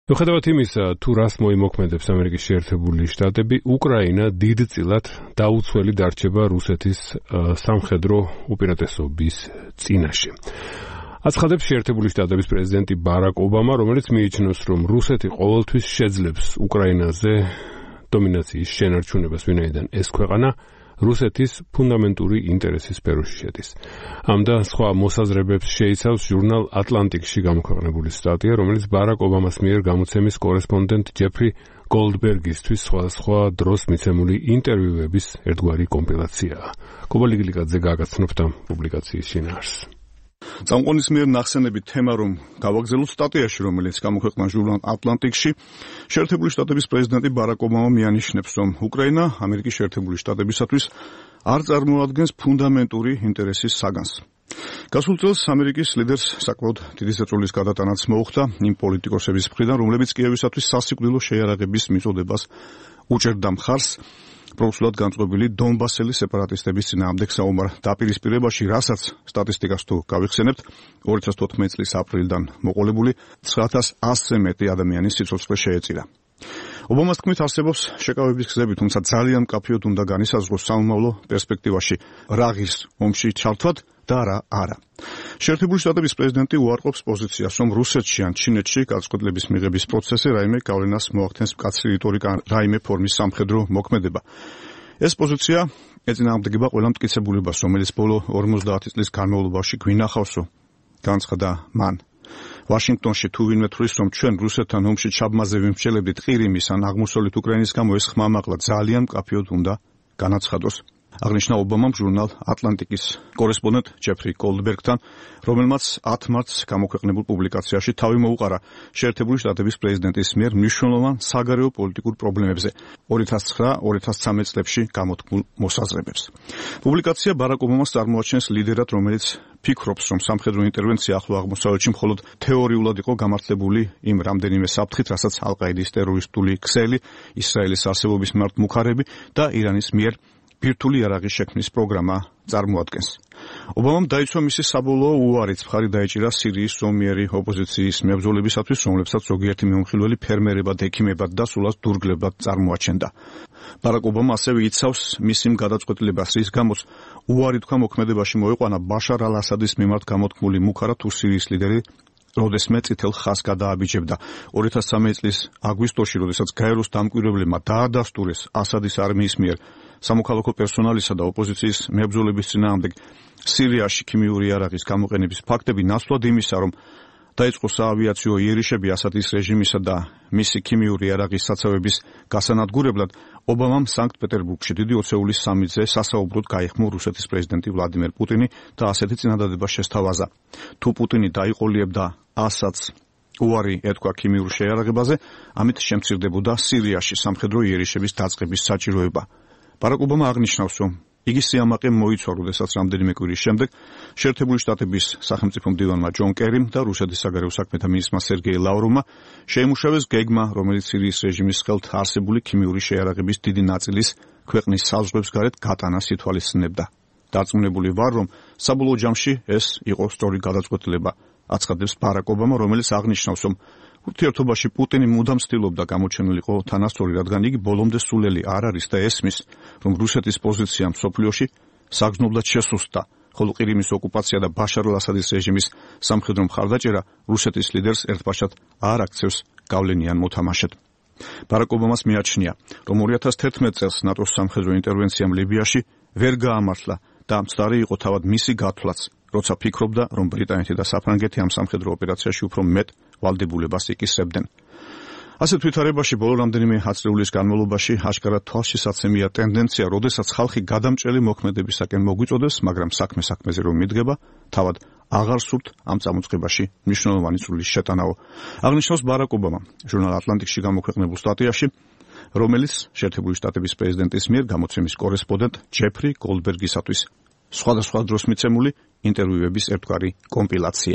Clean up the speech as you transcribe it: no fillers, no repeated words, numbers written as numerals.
მიუხედავად იმისა, თუ რას მოიმოქმედებს ამერიკის შეერთებული შტატები, უკრაინა დიდწილად დაუცველი დარჩება რუსეთის სამხედრო უპირატესობის წინაშე. აცხადებს შეერთებული შტატების პრეზიდენტი ბარაკ ობამა, რომელიც მიიჩნევს, რომ რუსეთი ყოველთვის შეძლებს უკრაინაზე დომინაციის შენარჩუნებას, ვინაიდან ეს ქვეყანა რუსეთის ფუნდამენტური ინტერესის სფეროში შედის. ამ და სხვა მოსაზრებებს შეიცავს ჟურნალ ატლანტიკში გამოქვეყნებული სტატია, რომელიც ბარაკ ობამას მიერ გამოცემის კორესპონდენტ ჯეფრი გოლდბერგისთვის სხვადასხვა დროს მიცემული ინტერვიუების ერთგვარი კომპილაციაა. კობა ლიგლიკაძე გააგრძნობდა პუბლიკაციის შინაარსს. წამყვანის მიერ ნახსენები თემა, რომ გავაგზავნოთ სტატიაში, რომელიც გამოქვეყნდა ჟურნალ ატლანტიკში, შეერთებული შტატების პრეზიდენტი ბარაკ ობამა მიანიშნებს, რომ უკრაინა ამერიკის შეერთებული შტატებისათვის არ წარმოადგენს ფუნდამენტური ინტერესის საგანს. გასულ წელს ამერიკის ლიდერს საკმაოდ დიდი ზეწოლის გადატანაც მოუხდა იმ პოლიტიკოსების მხრიდან, რომლებიც კიევისათვის სასიკვდილო შეიარაღების მიწოდებას უჭერდა მხარს პროფესიულად განწყობილი დონბასელი სეპარატისტების წინააღმდეგ საომარ დაპირისპირებაში, რასაც სტატისტიკას თუ გავიხსენებთ, 2014 წლის აპრილიდან მოყოლებული 9100-ზე მეტი ადამიანის სიცოცხლე შეეწირა. ობამას თქმით, არსებობს შეკავების გზები, თუმცა ძალიან მკაფიოდ უნდა განისაზღვროს სამომავლო პერსპექტივაში რა ღირს ომში ჩართვად და რა არა. შეერთებული შტატების პრეზიდენტი უარყოფს პოზიციას, რომ რუსეთში ან ჩინეთში გადაწყვეტილების მიღების პროცესი რაიმე გავლენას მოახდენს მკაცრი რიტორიკა, რაიმე ფორმის სამხედრო მოქმედება. ეს პოზიცია ეწინააღმდეგება ყველა მტკიცებულებას, რომელიც ბოლო 50 წლის განმავლობაში გვინახავსო, განცხადა მან. ვაშინგტონში თუ ვინმე თვლის, რომ ჩვენ რუსეთთან ომში ჩაბმაზე ვიმსჯელებდით ყირიმის ან აღმოსავლეთ უკრაინის გამო, ეს ხმამაღლა ძალიან მკაფიოდ უნდა განაცხადოს. აღნიშნა ობამამ ჟურნალ ატლანტიკის კორესპონდენტ ჯეფრი გოლდბერგთან, რომელმაც 10 მარტს გამოქვეყნებულ პუბლიკაციაში თავი მოუყარა შეერთებული შტატების პრეზიდენტის მიერ მნიშვნელოვან საგარეო პოლიტიკურ პრობლემებზე 2009-2013 წლებში გამოთქმულ მოსაზრებებს. პუბლიკაცია ბარაკ ობამას წარმოაჩენს ლიდერად, რომელიც ფიქრობს, რომ სამხედრო ინტერვენცია ახლო აღმოსავლეთში მხოლოდ თეორიულად იყო გამართლებული იმ რამდენიმე საფრთხით, რასაც ალ-ყაიდის ტერორისტული ქსელი, ისრაელის არსებობის მიმართ მუხარები და ირანის მიერ ბირთვული იარაღის შექმნის პროგრამა წარმოადგენს. ობამამ დაიცვა მისი საბოლოო უარიც, მხარი დაეჭირა სირიის ზომიერი ოპოზიციის მებრძოლებისათვის, რომლებსაც ზოგიერთი მეუხილველი ფერმერებად, ექიმებად და სულაც დურგლებად წარმოაჩენდა. ბარაკ ობამა ასევე იცავს მისი გადაწყვეტილებას, რის გამოც უარი თქვა მოქმედებაში მოიყვანა ბაშარ ალ-ასადის მიმართ გამოთქმული მუხარა თუ სირიის ლიდერი როდესმე წითელ ხაზს გადააბიჯებდა. 2013 წლის აგვისტოში, როდესაც გაეროს დამკვირვებლებმა დაადასტურეს ასადის არმიის მიერ სამოქალაქო პერსონალისა და ოპოზიციის მებრძოლების წინააღმდეგ სირიაში ქიმიური იარაღის გამოყენების ფაქტები, ნაცვლად იმისა, რომ დაიწყო საავიაციო იერიშები ასადის რეჟიმისა და მისი ქიმიური იარაღის საცავების გასანადგურებლად, ობამამ სანქტ-პეტერბურგში დიდი ოცეულის სამიტზე სასაუბროდ გაიხმო რუსეთის პრეზიდენტი ვლადიმერ პუტინი და ასეთი წინადადება შესთავაზა. თუ პუტინი დაიყოლიებდა ასადს უარი ეთქვა ქიმიურ შეიარაღებაზე, ამით შემცირდებოდა სირიაში სამხედრო იერიშების დაწყების საჭიროება. ბარაკ ობამა აღნიშნავს, რომ იგი სიამაყე მოიცვა, როდესაც რამდენიმე კვირის შემდეგ შეერთებული შტატების სახელმწიფო მდივანმა ჯონ კერიმ და რუსეთის საგარეო საქმეთა მინისტრმა სერგეი ლავროვმა შეიმუშავეს გეგმა, რომელიც სირიის რეჟიმის ხელთ არსებული ქიმიური შეიარაღების დიდი ნაწილის ქვეყნის საზღვრებს გარეთ გატანას ითვალისწინებდა. დარწმუნებული ვარ, რომ საბოლოო ჯამში ეს იყო სწორი გადაწყვეტილება, აცხადებს ბარაკ ობამა, რომელიც აღნიშნავს, რომ ურთიერთობაში პუტინი მუდამ ცდილობდა გამოჩენილიყო თანასწორი, რადგან იგი ბოლომდე სულელი არ არის და ესმის, რომ რუსეთის პოზიცია მსოფლიოში საგრძნობლად შესუსტდა, ხოლო ყირიმის ოკუპაცია და ბაშარ ალ-ასადის რეჟიმის სამხედრო მხარდაჭერა რუსეთის ლიდერს ერთბაშად არ აქცევს გავლენიან მოთამაშედ. ბარაკ ობამას მიაჩნია, რომ 2011 წელს ნატოს სამხედრო ინტერვენციამ ლიბიაში ვერ გაამართლა და მცდარი იყო თავად მისი გათვლაც, როცა ფიქრობდა, რომ ბრიტანეთი და საფრანგეთი ამ სამხედრო ოპერაციაში უფრო მეტ ვალდებულებას იკისრებდნენ. ასეთ ვითარებაში ბოლო რამდენიმე ათწლეულის განმავლობაში აშკარად თვალშისაცემია ტენდენცია, როდესაც ხალხი გადამჭრელი მოქმედებისაკენ მოგვიწოდეს, მაგრამ საქმეზე რომ მიდგება, თავად აღარ სურთ ამ წამოწყებაში მნიშვნელოვანი წვლილი შეტანაო. აღნიშნავს ბარაკ ობამა ჟურნალ ატლანტიკში გამოქვეყნებულ სტატიაში, რომელიც შეერთებული შტატების პრეზიდენტის მიერ გამოცემის კორესპონდენტ ჯეფრი გოლდბერგისათვის სხვადასხვა დროს მიცემული ინტერვიუების ერთგვარი კომპილაცია.